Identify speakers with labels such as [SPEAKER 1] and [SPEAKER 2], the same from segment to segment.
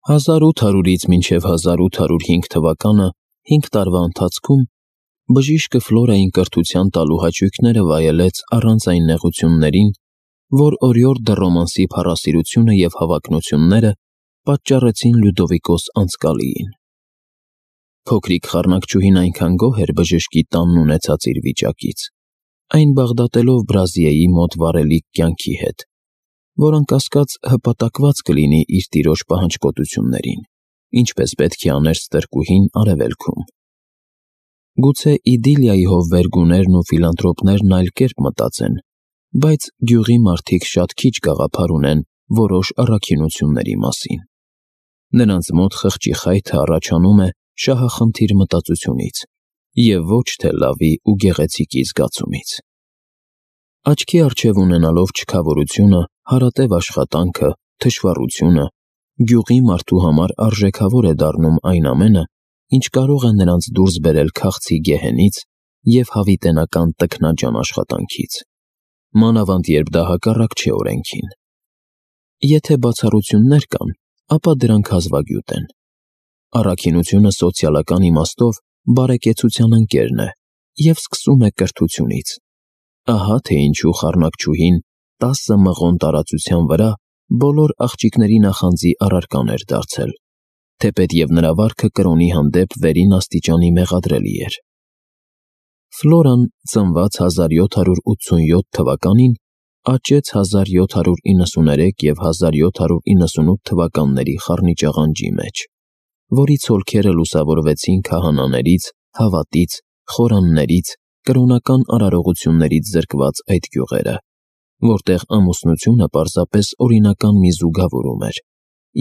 [SPEAKER 1] 1800-ից մինչև 1805 թվականը 5 տարվա ընթացքում բժիշկը Ֆլորային կրթության տալու հաճույքները վայելեց առանց այն նեղություններին, որ օրիորդ դը ռոմանսի փառասիրությունը և հավակնությունները պատճառեցին Լյուդովիկոս անցկալիին։ Փոքրիկ խառնակչուհին այնքան գոհ էր բժշկի տանն ունեցած իր վիճակից, այն բաղդատելով Բրազիեի մոտ վարելիք կյանքի հետ, որ անկասկած հպատակված կլինի իր տիրոջ պահանջկոտություններին, ինչպես պետք է աներ ստրկուհին արևելքում։ Գուցե Իդիլիայի հովվերգուներն ու ֆիլանտրոպներն այլ կերպ մտածեն, բայց գյուղի մարդիկ շատ քիչ գաղափար ունեն որոշ առաքինությունների մասին։ Նրանց մոտ խղճի խայթը առաջանում է շահախնդիր մտածությունից և ոչ թե լավի ու գեղեցիկի զգացումից։ Աչքի առջև ունենալով չքավորությունը, հարատև աշխատանքը, թշվառությունը, գյուղի մարդու համար արժեքավոր է դառնում այն ամենը, ինչ կարող է նրանց դուրս բերել քաղցի գեհենից և հավիտենական տքնաջան աշխատանքից, մանավանդ երբ դա հակառակ չէ օրենքին։ Եթե բացառություններ կան, ապա դրանք հազվագյուտ են։ Առաքինությունը սոցիալական իմաստով բարեկեցության ընկերն է և սկսում է կրթությունից։ Ահա թե ինչու խառնակչուհին 10 մղոն տարածության վրա բոլոր աղջիկների նախանձի առարկան էր դարձել, թեպետև նրա վարքը կրոնի հանդեպ վերին աստիճանի մեղադրելի էր։ Ֆլորան ծնված 1787 թվականին աճեց 1793 և 1798 թվականների խառնիճաղանջի մեջ, որի ցոլքերը լուսավորվեցին քահանաներից, հավատից, խորաններից, կրոնական արարողություններից զրկված այդ գյուղերը, որտեղ ամուսնությունը պարզապես օրինական մի զուգավորում էր,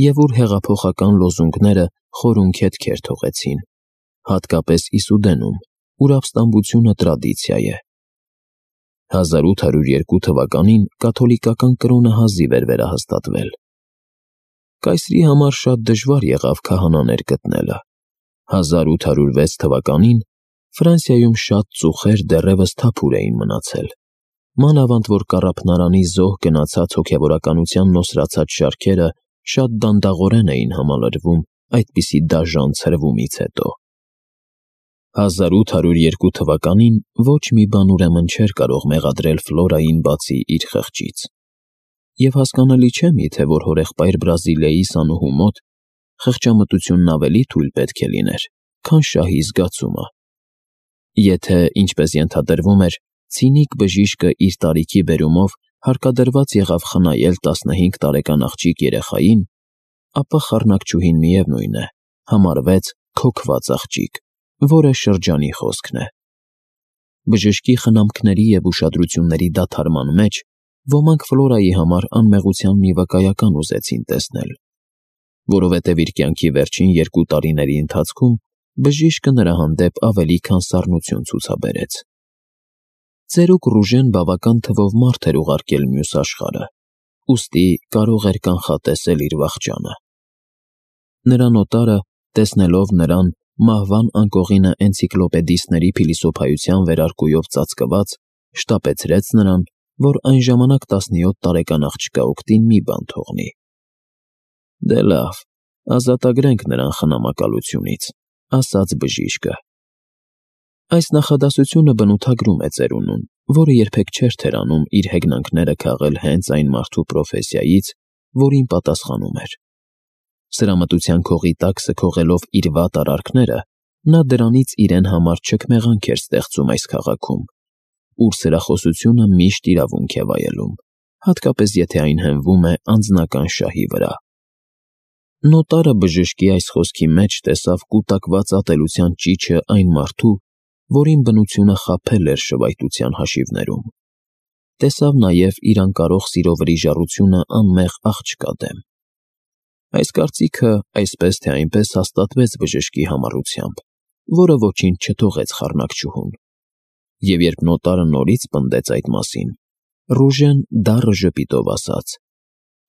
[SPEAKER 1] և ուր հեղափոխական լոզունգները խորուն քետքեր թողեցին, հատկապես Իսուդենում, ուր ապստամբությունը տրադիցիա է։ 1802 թվականին կաթոլիկական կրոնը հազիվ էր վերահաստատվել։ Կայսրի համար շատ դժվար եղավ քահանաներ գտնելը։ 1806 թվականին Ֆրանսիայում շատ ծուխեր դեռևս թափուր էին մնացել, մանավանդ որ կառափնարանի զոհ գնացած հոգևորականության նոսրացած շարքերը շատ դանդաղորեն էին համալրվում այդպիսի դաժան ցրվումից հետո։ 1802 թվականին ոչ մի բան ուրեմն չէր կարող մեղադրել Ֆլորային բացի իր խղճից։ Եվ հասկանալի չէ միթե, որ հորեղբայր Բրազիլիայի սանուհու մոտ խղճամտությունն ավելի թույլ պետք է լիներ, քան շահի զգացումը։ Եթե, ինչպես ենթադրվում էր, ցինիկ բժիշկը իր տարիքի բերումով հարկադրված եղավ խնայել 15 տարեկան աղջիկ երեխային, ապա խառնակչուհին միևնույն է, համարվեց քոքված աղջիկ, որը շրջանի խոսքն է։ Բժշկի խնամքների և ուշադրությունների դադարման մեջ ոմանք Ֆլորայի համար անմեղության մի վկայական ուզեցին տեսնել, որովհետև իր կյանքի վերջին 2 տարիների ընթացքում բժիշկը նրա հանդեպ ավելի քան սառնություն ցուցաբերեց։ Ծերուկ Ռուժեն բավական թվով մարդ էր ուղարկել մյուս աշխարհը, ուստի կարող էր կանխատեսել իր վախճանը։ Նրա նոտարը, տեսնելով նրան մահվան անկողինը էնցիկլոպեդիստների փիլիսոփայության վերարկուով ծածկված, շտապեցրեց նրան, որ այն ժամանակ 17 տարեկան աղջկա օգտին մի բան թողնի։ Դե լավ, ազատագրենք նրան խնամակալությունից, ասաց բժիշկը։ Այս նախադասությունը բնութագրում է ծերունուն, որը երբեք չէր թերանում իր հեգնանքները քաղել հենց այն մարդու պրոֆեսիայից, որին պատասխանում էր։ Սրամտության քողի տակ սքողելով իր վատ արարքները, նա դրանից իրեն համար չքմեղանք էր ստեղծում այս քաղաքում, ուր սրախոսությունը միշտ իրավունք է վայելում, հատկապես եթե այն հենվում է անձնական շահի վրա։ Նոտարը բժշկի այս խոսքի մեջ տեսավ կուտակված ատելության ճիչը այն մարդու, որին բնությունը խաբել էր շվայտության հաշիվներում։ Տեսավ նաև իր անկարող սիրո վրիժառությունը անմեղ աղջկա դեմ։ Այս կարծիքը այսպես թե այնպես հաստատվեց բժշկի համառությամբ, որը ոչինչ չթողեց խառնակչուհուն։ Եվ երբ նոտարը նորից պնդեց այդ մասին, Ռուժեն դառը ժպիտով ասաց.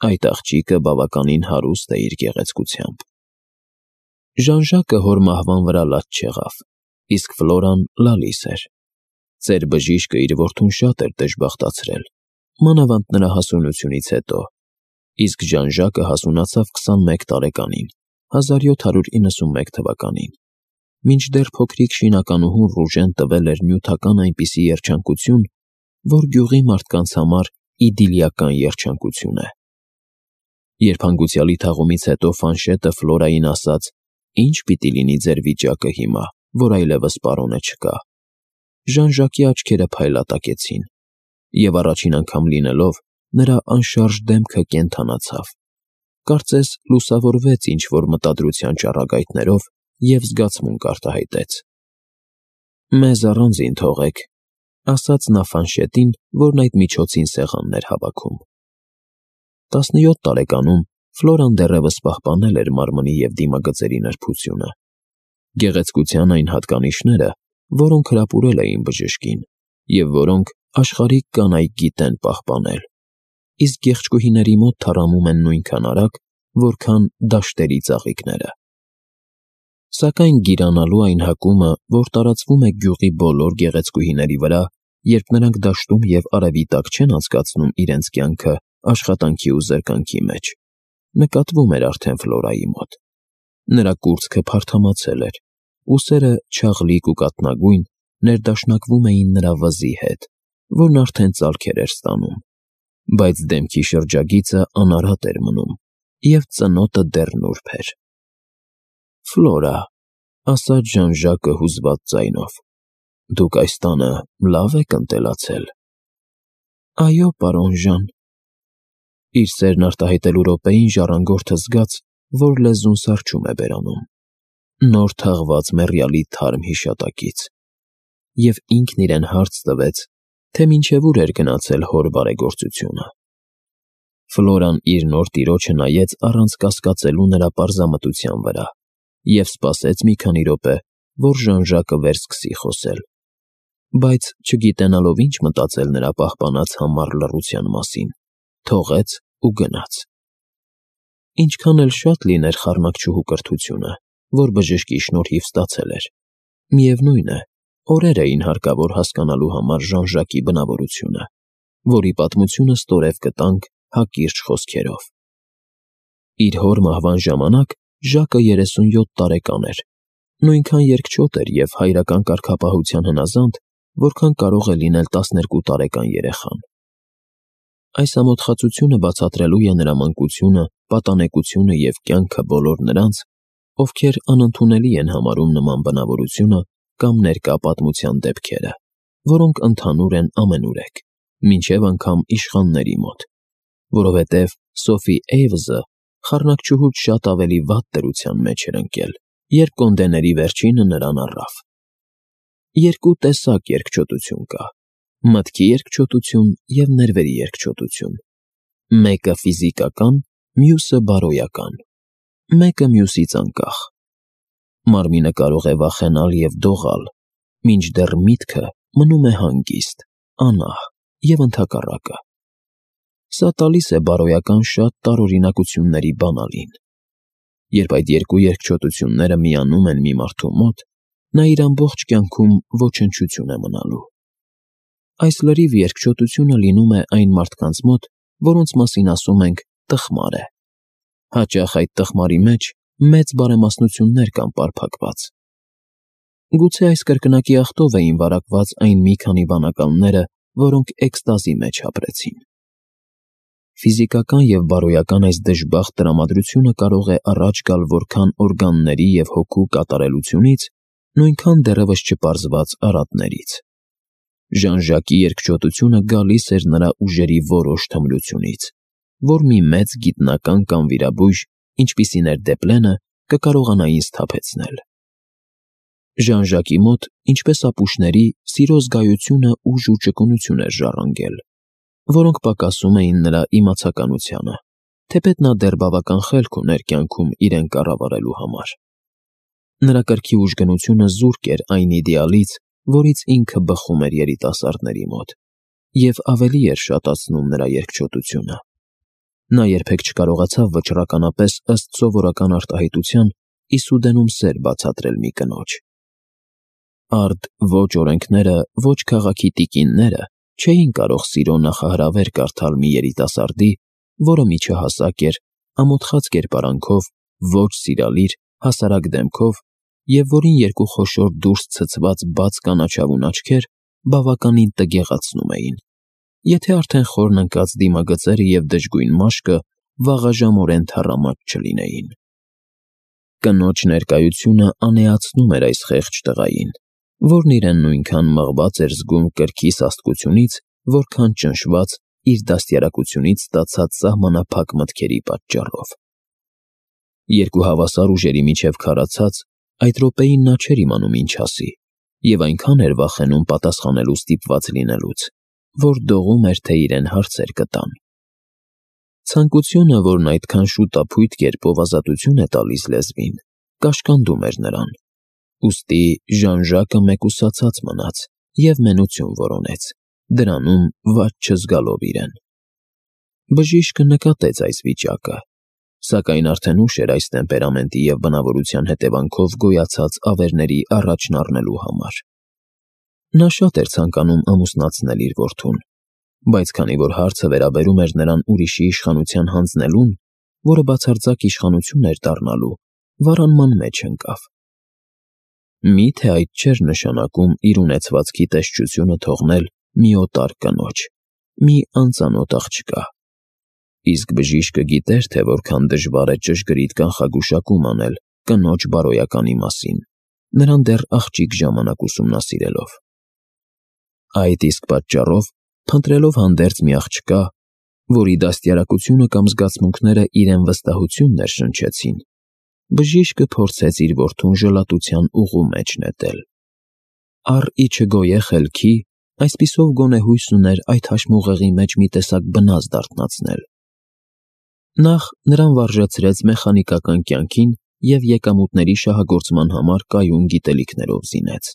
[SPEAKER 1] «Այդ աղջիկը բավականին հարուստ է իր գեղեցկությամբ»։ Ժան-Ժակը հոր մահվան վրա լաց չեղավ, իսկ Ֆլորան լալիս էր։ Ծեր բժիշկը իր որդուն շատ էր դժբախտացրել, մանավանդ նրա հասունությունից հետո, իսկ Ժան-Ժակը հասունացավ 21 տարեկանին 1791 թվականին, մինչդեռ փոքրիկ շինականուհուն Ռուժեն տվել էր նյութական այնպիսի երջանկություն, որ գյուղի մարդկանց համար իդիլիական երջանկություն է։ Երբ հանգուցյալի թաղումից հետո Ֆանշետը Ֆլորային ասաց. «Ինչ պիտի լինի ձեր վիճակը հիմա, որ այլևս պարոնը չկա», Ժան-Ժակի աչքերը փայլատակեցին, և առաջին անգամ լինելով, նրա անշարժ դեմքը կենդանացավ, կարծես լուսավորվեց ինչ-որ մտադրության ճառագայթներով և զգացմունք արտահայտեց։ «Մեզ առանձին թողեք», ասաց նա Ֆանշետին, որն այդ միջոցին սեղանն էր հավաքում։ 17 տարեկանում Ֆլորան դեռևս պահպանել էր մարմնի և դիմագծերի նրբությունը, գեղեցկության այն հատկանիշները, որոնք հրապուրել էին բժշկին, և որոնք աշխարհիկ կանայք գիտեն պահպանել, իսկ գեղեցկուհիների մոտ թառամում են նույնքան արագ, որքան դաշտերի ծաղիկները։ Սակայն գիրանալու այն հակումը, որ տարածվում է գյուղի բոլոր գեղեցկուհիների վրա, երբ նրանք դաշտում և արևի տակ չեն անցկացնում իրենց կյանքը աշխատանքի ու զրկանքի մեջ, նկատվում էր արդեն Ֆլորայի մոտ։ Նրա կուրծքը փարթամացել էր, ուսերը չաղլիկ ու կաթնագույն ներդաշնակվում էին նրա վզի հետ, որն արդեն ծալքեր էր ստանում, բայց դեմքի շրջագիծը անարատ էր մնում, և ծնոտը դեռ նուրբ էր։ «Ֆլորա», ասաց Ժան-Ժակը հուզված ձայնով, «դուք այս տանը լավ եք ընտելացել»։ «Այո, պարոն Ժան»։ Իր սերն արտահայտելու րոպեին ժառանգորդը զգաց, որ լեզուն սառչում է բերանում, նոր թաղված մեռյալի թարմ հիշատակից, և ինքն իրեն հարց տվեց, թե մինչև ուր էր գնացել հոր բարեգործությունը։ Ֆլորան իր նոր տիրոջը նայեց առանց կասկածելու նրա պարզամտության վրա և սպասեց մի քանի րոպե, որ Ժան-Ժակը վերսկսի խոսել, բայց չգիտենալով ինչ մտածել նրա պահպանած համառ լռության մասին, թողեց ու գնաց։ Ինչքան էլ շատ լիներ խառնակչուհու կրթությունը, որ բժշկի շնորհիվ ստացել էր, միևնույն է, օրեր էին հարկավոր հասկանալու համար Ժան-Ժակի բնավորությունը, որի պատմությունը ստորև կտանք հակիրճ խոսքերով։ Իր հոր մահվան ժամանակ Ժակը 37 տարեկան էր, նույնքան երկչոտ էր և հայրական կարգապահության հնազանդ, որքան կարող է լինել 12 տարեկան երեխան։ Այս ամոթխածությունը բացատրելու է նրա մանկությունը, պատանեկությունը և կյանքը բոլոր նրանց, ովքեր անընդունելի են համարում նման բնավորությունը կամ ներկա պատմության դեպքերը, որոնք ընդհանուր են ամենուրեք, մինչև անգամ իշխանների մոտ, որովհետև Սոֆի Էյվզը խառնակչուհուց շատ ավելի վատ դրության մեջ էր ընկել, երբ կոնդեների վերջինը նրան առավ։ Երկու տեսակ երկչոտություն կա. մտքի երկչոտություն և ներվերի երկչոտություն։ Մեկը ֆիզիկական, մյուսը բարոյական, մեկը մյուսից անկախ։ Մարմինը կարող է վախենալ և դողալ, մինչդեռ միտքը մնում է հանգիստ, անահ և ընդհակառակը։ Սա տալիս է բարոյական շատ տարօրինակությունների բանալին։ Երբ այդ երկու երկչոտությունները միանում են մի մարդու մոտ, նա իր ամբողջ կյանքում ոչնչություն է մնալու։ Այս լրիվ երկչոտությունը լինում է այն մարդկանց մոտ, որոնց մասին ասում ենք տխմար է։ Հաճախ այդ տխմարի մեջ մեծ բարեմասնություններ կան պարփակված։ Գուցե այս կրկնակի աղտով էին վարակված այն մի քանի բանականները, որոնք էքստազի մեջ ապրեցին։ Ֆիզիկական և բարոյական այս դժբախտ տրամադրությունը կարող է առաջ գալ որքան օրգանների և հոգու կատարելությունից, նույնքան դեռևս չպարզված արատներից։ Ժան-Ժակի երկչոտությունը գալիս էր նրա ուժերի որոշ թմրությունից, որ մի մեծ գիտնական կամ վիրաբույժ, ինչպիսին էր Դեպլենը, կկարողանային սթափեցնել։ Ժան-Ժակի մոտ, ինչպես ապուշների, սիրո զգայությունը ուժ ու ճկունություն էր ժառանգել, որոնք պակասում էին նրա իմացականությանը, թեպետ նա դեռ բավական խելք ուներ կյանքում իրեն կառավարելու համար։ Նրա կրքի ուժգնությունը զուրկ էր այն իդեալից, որից ինքը բխում էր երիտասարդների մոտ, և ավելի էր շատացնում նրա երկչոտությունը։ Նա երբեք չկարողացավ վճռականապես ըստ սովորական արտահայտության իսուդենում սեր բացատրել մի կնոջ։ Արդ ոչ օրենքները, ոչ քաղաքի տիկինները չէին կարող սիրո նախահրավեր կարդալ մի երիտասարդի, որը միջահասակ էր, ամոթխած կերպարանքով ոչ սիրալիր, հասարակ դեմքով և որին երկու խոշոր դուրս ցցված բաց կանաչավուն աչքեր բավականին տգեղացնում էին, եթե արդեն խորն ընկած դիմագծերը և դժգույն մաշկը վաղաժամորեն թառամած չլինեին։ Կնոջ ներկայությունը անեացնում էր այս խեղճ տղային, որն իրեն նույնքան մղված էր զգում կրքի սաստկությունից, որքան ճնշված իր դաստիարակությունից ստացած սահմանափակ մտքերի պատճառով։ Երկու հավասար ուժերի միջև քարացած, այդ րոպեին նա չէր իմանում ինչ ասի, և այնքան էր վախենում պատասխանելու ստիպված լինելուց, որ դողում էր, թե իրեն հարցեր կտան։ Ցանկությունը, որն այդքան շուտափույթ կերպով ազատություն է տալիս լեզվին, կաշկանդում էր նրան, ուստի Ժան-Ժակը մեկուսացած մնաց և մենություն որոնեց, դրանում վատ չզգալով իրեն։ Բժիշկը նկատեց այս վիճակը, սակայն արդեն ուշ էր այս տեմպերամենտի և բնավորության հետևանքով գոյացած ավերների առաջն առնելու համար։ Նա շատ էր ցանկանում ամուսնացնել իր որդուն, բայց քանի որ հարցը վերաբերում էր նրան ուրիշի իշխանության հանձնելուն, որը բացարձակ իշխանություն էր դառնալու, վարանման մեջ ընկավ։ Մի՞թե այդ չէր նշանակում իր ունեցվածքի տեսչությունը թողնել մի օտար կնոջ, մի անծանոթ աղջկա։ Իսկ բժիշկը գիտեր, թե որքան դժվար է ճշգրիտ կանխագուշակում անել կնոջ բարոյականի մասին, նրան դեռ աղջիկ ժամանակ ուսումնասիրելով։ Այդ իսկ պատճառով, փնտրելով հանդերձ մի աղջկա, որի դաստիարակությունը կամ զգացմունքները իրեն վստահություն ներշնչեցին, բժիշկը փորձեց իր որդուն ժլատության ուղու մեջ նետել։ Առ ի չգոյե խելքի, այսպիսով գոնե հույս ուներ այդ հաշմուղեղի մեջ մի տեսակ բնազ դարթնացնել։ Նախ նրան վարժեցրեց մեխանիկական կյանքին և եկամուտների շահագործման համար կայուն գիտելիքներով զինեց։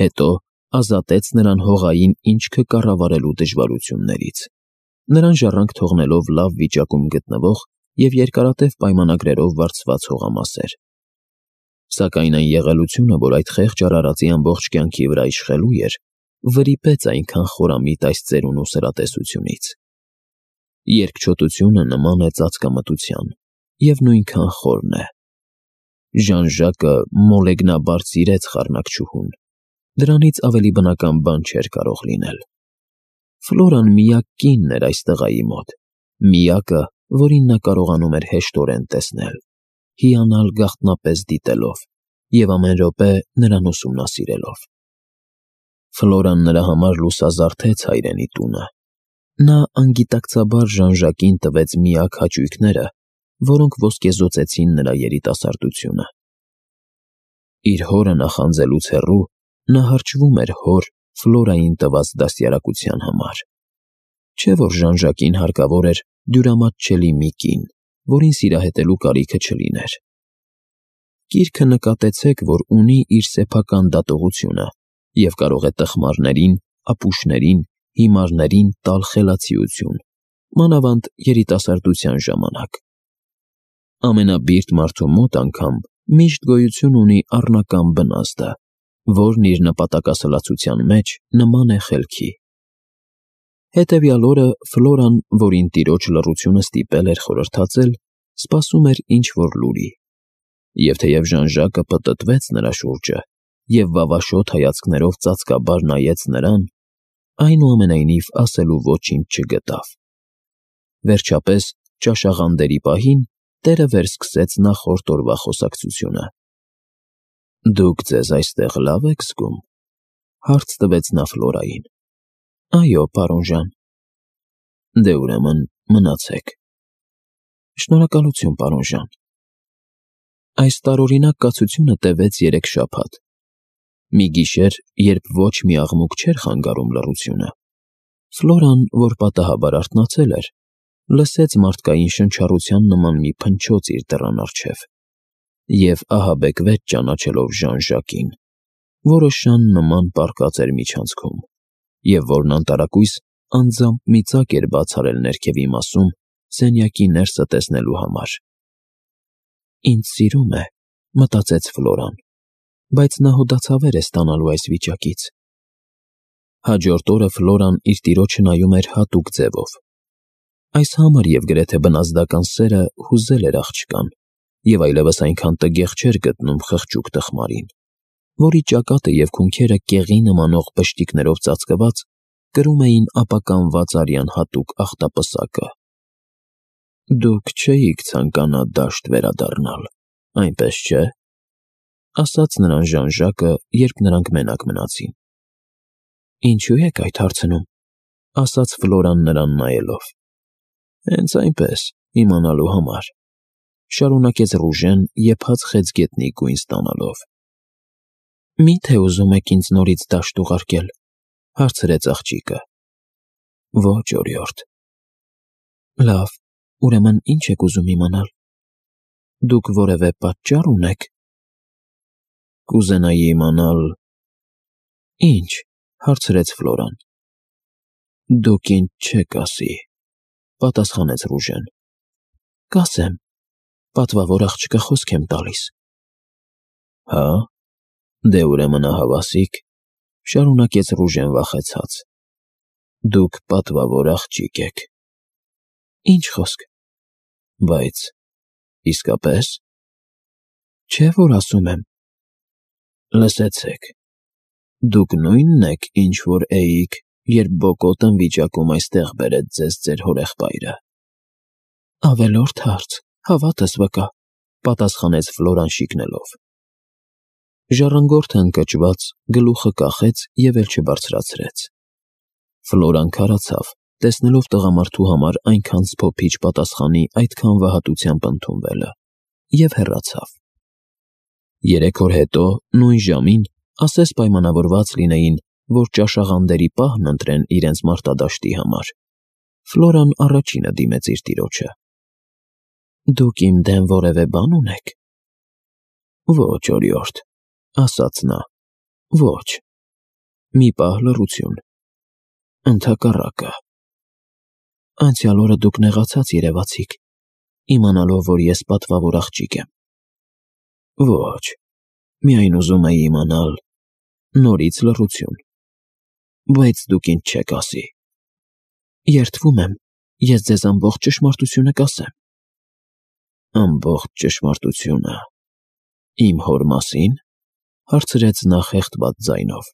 [SPEAKER 1] Հետո ազատեց նրան հողային ինչքը կառավարելու դժվարություններից, նրան ժառանգ թողնելով լավ վիճակում գտնվող և երկարատև պայմանագրերով վարձված հողամասեր։ Սակայն այն եղելությունը, որ այդ խեղճ արարածի ամբողջ կյանքի վրա իշխելու էր, վրիպեց այնքան խորամիտ այս ծերունու սրատեսությունից։ Երկչոտությունը նման է ծածկամտության և նույնքան խորն է։ Ժան-Ժակը մոլեգնաբար սիրեց խառնակչուհուն, դրանից ավելի բնական բան չէր կարող լինել։ Ֆլորան միակ կինն էր այս տղայի մոտ, միակը, որին նա կարողանում էր հեշտորեն տեսնել, հիանալ գաղտնապես դիտելով և ամեն րոպե նրան ուսումնասիրելով։ Ֆլորան նրա համար լուսազարդեց հայրենի տունը։ Նա անգիտակցաբար Ժան-Ժակին տվեց միակ հաճույքները, որոնք ոսկեզօծեցին նրա երիտասարդությունը։ Իր հորը նախանձելուց հեռու, նա հարճվում էր հոր Ֆլորային տված դաստիարակության համար։ Չէ՞ որ Ժան-Ժակին հարկավոր էր դյուրամատչելի մի կին, որին սիրահետելու կարիքը չլիներ։ Գիրքը նկատեցեք, որ ունի իր սեփական դատողությունը և կարող է տխմարներին, ապուշներին, հիմարներին տալ խելացիություն, մանավանդ երիտասարդության ժամանակ։ Ամենաբիրտ մարդու մոտ անգամ միշտ գոյություն ունի առնական բնազդը, որն իր նպատակասլացության մեջ նման է խելքի։ Հետևյալ օրը Ֆլորան, որին տիրոջ լռությունը ստիպել էր խորհրդածել, սպասում էր ինչ-որ լուրի։ Եվ թեև Ժան-Ժակը պտտվեց նրա շուրջը և վավաշոտ հայացքներով ծածկաբար նայեց նրան, այնուամենայնիվ ասելու ոչինչ չգտավ։ Վերջապես, ճաշաղանդերի պահին տերը վերսկսեց նախորդ օրվա խոսակցությունը։ «Դուք ձեզ այստեղ լավ եք զգում», հարց տվեց նա Ֆլորային։ «Այո, պարոն Ժան»։ «Դե ուրեմն մնացեք»։ «Շնորհակալություն, պարոն Ժան»։ Այս տարօրինակ կացությունը տևեց 3 շաբաթ։ Մի գիշեր, երբ ոչ մի աղմուկ չէր խանգարում լռությունը, Ֆլորան, որ պատահաբար արթնացել էր, լսեց մարդկային շնչառության նման մի փնչոց իր դռան առջև և ահաբեկվեց ճանաչելով Ժան-Ժակին, որը շան նման պառկած էր միջանցքում և որն անտարակույս անձամբ մի ծակ էր բաց արել ներքևի մասում սենյակի ներսը տեսնելու համար։ «Ինձ սիրում է», մտածեց Ֆլորան, բայց նա հոդացավեր է ստանալու այս վիճակից։ Հաջորդ օրը Ֆլորան իր տիրոջը նայում էր հատուկ ձևով։ Այս համր և գրեթե բնազդական սերը հուզել էր աղջկան և այլևս այնքան տգեղ չէր գտնում խղճուկ տխմարին, որի ճակատը և քունքերը կեղի նմանող բշտիկներով ծածկված կրում էին ապականված արյան հատուկ ախտապսակը։ «Դուք չէիք ցանկանա դաշտ վերադառնալ, այնպես չէ», ասաց նրան Ժան-Ժակը, երբ նրանք մենակ մնացին։ «Ինչու եք այդ հարցնում», ասաց Ֆլորան նրան նայելով։ «Հենց այնպես, իմանալու համար», շարունակեց Ռուժեն եփած խեցգետնի գույն ստանալով։ «Մի՞թե ուզում եք ինձ նորից դաշտ ուղարկել», հարցրեց աղջիկը։ «Ոչ, օրիորդ»։ «Լավ, ուրեմն ինչ եք ուզում իմանալ։ Դուք որևէ պատճառ ունեք»։ «Կուզենայի իմանալ»։ «Ինչ», հարցրեց Ֆլորան։ «Դուք ինձ չեք ասի», պատասխանեց Ռուժեն։ «Կասեմ, պատվավոր աղջկա, խոսք եմ տալիս»։ «Հա՞, դե ուրեմն ահավասիկ», շարունակեց Ռուժեն վախեցած։ «Դուք պատվավոր աղջիկ եք»։ «Ինչ խոսք»։ «Բայց իսկապես»։ «Չէ՞ որ ասում եմ»։ «Լսեցեք, դուք նույնն եք, ինչ որ էիք, երբ բոկոտն վիճակում այստեղ բերեց ձեզ ձեր հորեղբայրը»։ «Ավելորդ հարց, հավատս վկա», պատասխանեց Ֆլորան շիկնելով։ Ժառանգորդը ընկճված գլուխը կախեց և էլ չբարձրացրեց։ Ֆլորան քարացավ, տեսնելով տղամարդու համար այնքան սփոփիչ պատասխանի այդքան վհատությամբ ընդունվելը, և հեռացավ։ 3 օր հետո, նույն ժամին, ասես պայմանավորված լինեին, որ ճաշաղանդերի պահն ընտրեն իրենց մարտադաշտի համար, Ֆլորան առաջինը դիմեց իր տիրոջը։ «Դուք իմ դեմ որևէ բան ունեք»։ «Ոչ, օրիորդ», ասաց նա, «ոչ»։ Մի պահ լռություն։ Ընդհակառակը։ «Անցյալ օրը դուք նեղացած երևացիք, իմանալով, որ ես պատվավոր աղջիկ եմ»։ «Ոչ, միայն ուզում էի իմանալ»։ Նորից լռություն։ «Բայց դուք ինձ չեք ասի»։ «Երդվում եմ, ես ձեզ ամբողջ ճշմարտությունը կասեմ»։ «Ամբողջ ճշմարտությունը… Իմ հոր մասի՞ն», հարցրեց նա խեղդված ձայնով։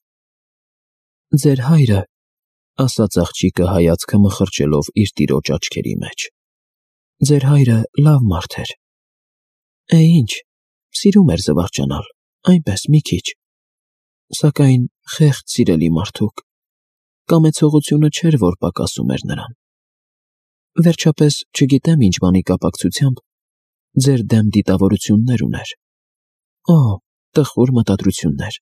[SPEAKER 1] «Ձեր հայրը», ասաց աղջիկը հայացքը մխրճելով իր տիրոջ աչքերի մեջ։ «Ձեր հայրը լավ մարդ էր։ Ինչ, սիրում էր զվարճանալ, այնպես մի քիչ։ Սակայն խեղճ սիրելի մարդուկ, կամեցողությունը չէր, որ պակասում էր նրան։ Վերջապես, չգիտեմ ինչ բանի կապակցությամբ, ձեր դեմ դիտավորություններ ուներ։ Օ, տխուր մտադրություններ։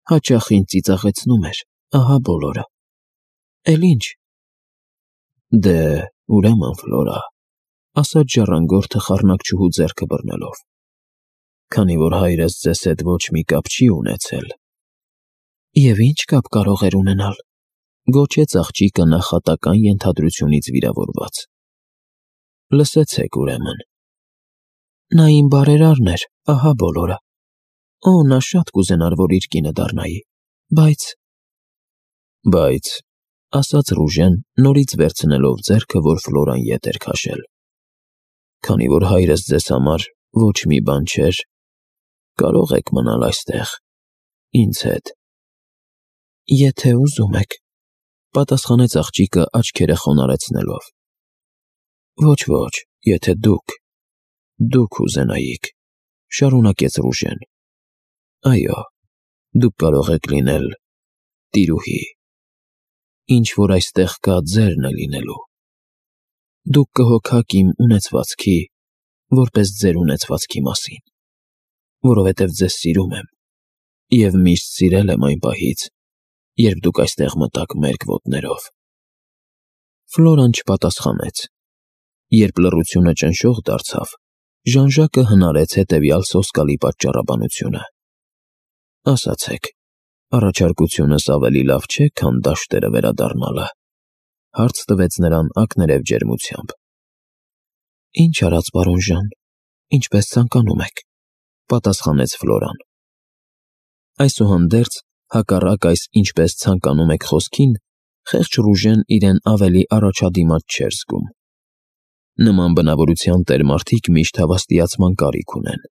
[SPEAKER 1] Հաճախ ինձ ծիծաղեցնում էր, ահա բոլորը։ Էլ ինչ»։ «Դե, ուրեմն, Ֆլորա», ասաց ժառանգորդը խառնակչուհու ձեռքը բռնելով, «քանի որ հայրս ձեզ հետ ոչ մի կապ չի ունեցել»։ «Եվ ինչ կապ կարող էր ունենալ», գոչեց աղջիկը նախատական ենթադրությունից վիրավորված։ «Լսեցեք, ուրեմն»։ «Նա իմ բարերարն էր, ահա բոլորը։ Օ, նա շատ կուզենար, որ իր կինը դառնայի, բայց», ասաց Ռուժեն, նորից վերցնելով ձեռքը, որ Ֆլորան ետ էր քաշել։ «Քանի որ հայրս ձեզ համար ոչ մի բան չէր, կարող եք մնալ այստեղ, ինձ հետ»։ «Եթե ուզում եք», պատասխանեց աղջիկը աչքերը խոնարհեցնելով։ «Ոչ, եթե դուք ուզենայիք», շարունակեց Ռուժեն։ «Այո, դուք կարող եք լինել տիրուհի։ Ինչ որ այստեղ կա, ձերն է լինելու։ Դուք կհոգաք իմ ունեցվածքի, որպես ձեր ունեցվածքի մասին, որովհետև ձեզ սիրում եմ և միշտ սիրել եմ այն պահից, երբ դուք այստեղ մտաք մերկ ոտներով»։ Ֆլորան չպատասխանեց։ Երբ լռությունը ճնշող դարձավ, Ժան-Ժակը հնարեց հետևյալ սոսկալի պատճառաբանությունը։ «Ասացեք, առաջարկությունս ավելի լավ չէ, քան դաշտերը վերադառնալը», հարց տվեց նրան ակներև ջերմությամբ։ «Ինչ արած, պարոն Ժան, ինչպես ցանկանում եք», պատասխանեց Ֆլորան։ Այսուհանդերձ, հակառակ այս «ինչպես ցանկանում եք» խոսքին, խեղճ Ռուժեն իրեն ավելի առաջադիմաց չէր զգում։ Նման բնավորության տերմարդիկ միշտ հավաստիացման կարիք ունեն։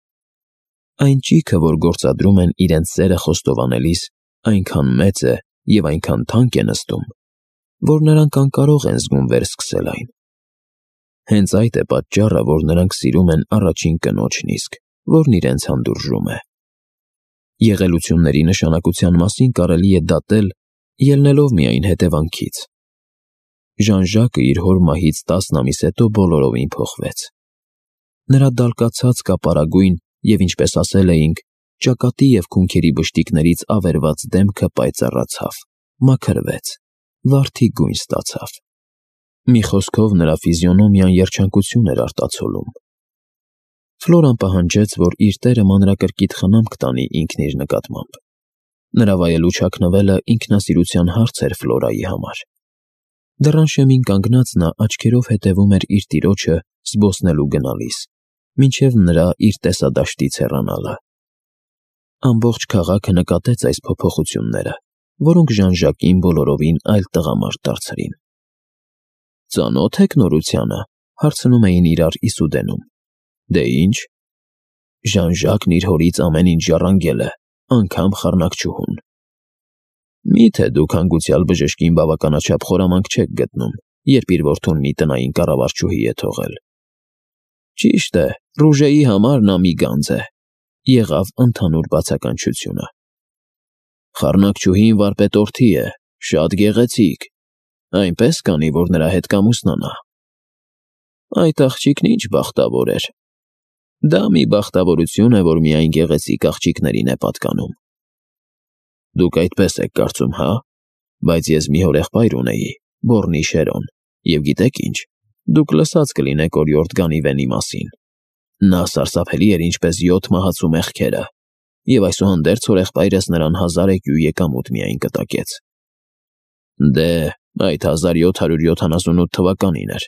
[SPEAKER 1] Այն ճիգը, որ գործադրում են իրենց սերը խոստովանելիս, այնքան մեծ է և այնքան թանկ է նստում, որ նրանք անկարող են զգում վերսկսել այն։ Հենց այդ է պատճառը, որ նրանք սիրում են առաջին կնոջն իսկ, որն իրենց հանդուրժում է։ Եղելությունների նշանակության մասին կարելի է դատել, ելնելով միայն հետևանքից։ Ժան-Ժակը իր հոր մահից 10 ամիս հետո բոլորովին փոխվեց։ Նրա դալկացած կապարագույն և, ինչպես ասել էինք, ճակատի և քունքերի բշտիկներից ավերված դեմքը պայծառացավ, մաքրվեց, վարդի գույն ստացավ։ Մի խոսքով նրա ֆիզիոնոմիան երջանկություն էր արտացոլում։ Ֆլորան պահանջեց, որ իր տերը մանրակրկիտ խնամք տանի ինքն իր նկատմամբ։ Նրա վայելուչ հագնվելը ինքնասիրության հարց էր Ֆլորայի համար։ Դռան շեմին կանգնած նա աչքերով հետևում էր իր տիրոջը զբոսնելու գնալիս, մինչև նրա իր տեսադաշտից հեռանալը։ Ամբողջ քաղաքը նկատեց այս փոփոխությունները, որոնք Ժան-Ժակին բոլորովին այլ տղամարդ դարձրին։ «Ծանո՞թ եք նորությանը», հարցնում էին իրար իսուդենում։ «Դե ինչ»։ Ժան-Ժակն իր հորից ամեն ինչ ժառանգել է, անգամ խառնակչուհուն։ «Մի՞թե դուք հանգուցյալ բժշկին բավականաչափ խորամանկ չեք գտնում, երբ իր որդուն մի տնային կառավարչուհի է թողել»։ «Ճիշտ է, Ռուժեի համար նա մի գանձ է», եղավ ընդհանուր բացականչությունը։ «Խառնակչուհին վարպետորդի է, շատ գեղեցիկ, այնպես կանի, որ նրա հետ կամուսնանա»։ «Այդ աղջիկն ինչ բախտավոր էր»։ «Դա մի բախտավորություն է, որ միայն գեղեցիկ աղջիկներին է պատկանում»։ «Դուք այդպես եք կարծում, հա՞։ Բայց ես մի հորեղբայր ունեի, Բոռնի Շերոն, և գիտեք ինչ, դուք լսած կլինեք օրիորդ Գանիվենի մասին։ Նա սարսափելի էր ինչպես 7 մահացու մեղքերը, և այսուհանդերձ հորեղբայրս նրան 1000 էկյու եկամուտ միայն կտակեց»։ «Դե, այդ 1778 թվականին էր»։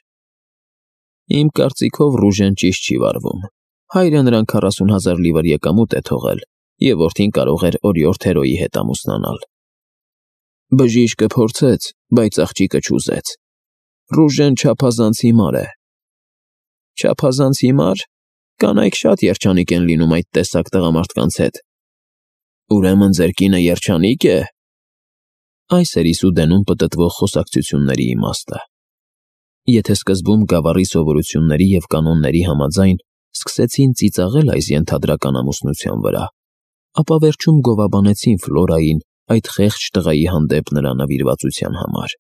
[SPEAKER 1] «Իմ կարծիքով Ռուժեն ճիշտ չի վարվում։ Հայրը նրան 40,000 լիվր եկամուտ է թողել, և որդին կարող էր օրիորդ Հերոյի հետ ամուսնանալ»։ «Բժիշկը փորձեց, բայց աղջիկը չուզեց։ Ռուժեն չափազանց հիմար է»։ «Չափազանց հիմա՞ր։ Կանայք շատ երջանիկ են լինում այդ տեսակ տղամարդկանց հետ»։ «Ուրեմն ձեր կինը երջանի՞կ է»։ Այս էր իսուդենում պտտվող խոսակցությունների իմաստը։ Եթե սկզբում գավառի սովորությունների և կանոնների համաձայն սկսեցին ծիծաղել այս ենթադրական ամուսնության վրա, ապա վերջում գովաբանեցին Ֆլորային այդ խեղճ տղայի հանդեպ նրա նվիրվածության համար։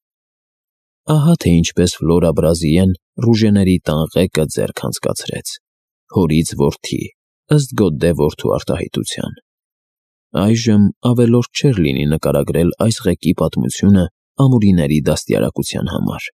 [SPEAKER 1] Ահա թե ինչպես Ֆլորա Բրազիլիեն Ռուժեների տան ղեկը ձեռք անցկացրեց, հորից որդի, ըստ Գոդդե որդու արտահայտության։ Այժմ ավելորդ չէր լինի նկարագրել այս ղեկի պատմությունը ամուրիների դաստիարակության համար։